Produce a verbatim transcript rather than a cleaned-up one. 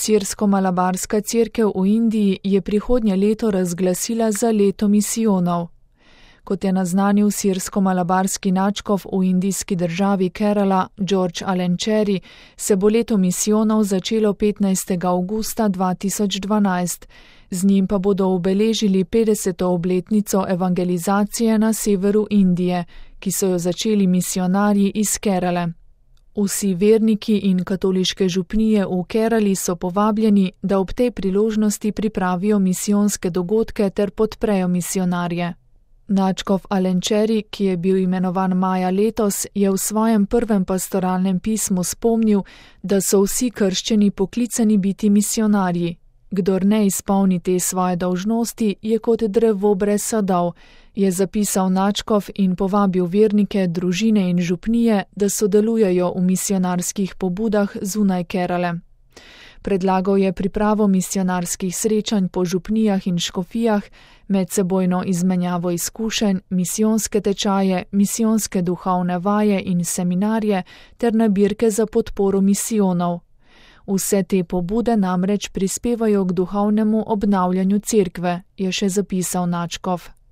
Sirsko-malabarska cerkev v Indiji je prihodnje leto razglasila za leto misijonov. Kot je naznanil sirsko-malabarski nadškof v indijski državi Kerala George Alencheri, se bo leto misijonov začelo petnajstega avgusta dva tisoč dvanajst, z njim pa bodo obeležili petdeseto obletnico evangelizacije na severu Indije, ki so jo začeli misijonarji iz Kerale. Vsi verniki in katoliške župnije v Kerali so povabljeni, da ob tej priložnosti pripravijo misijonske dogodke ter podprejo misijonarje. Nadškof Alencheri, ki je bil imenovan maja letos, je v svojem prvem pastoralnem pismu spomnil, da so vsi krščeni poklicani biti misijonarji. Kdor ne izpolni te svoje dolžnosti, je kot drevo brez sadov, je zapisal nadškof in povabil vernike, družine in župnije, da sodelujejo v misijonarskih pobudah zunaj Kerale. Predlagal je pripravo misijonarskih srečanj po župnijah in škofijah, medsebojno izmenjavo izkušenj, misijonske tečaje, misijonske duhovne vaje in seminarje ter nabirke za podporo misijonov. Vse te pobude namreč prispevajo k duhovnemu obnavljanju cerkve, je še zapisal nadškof.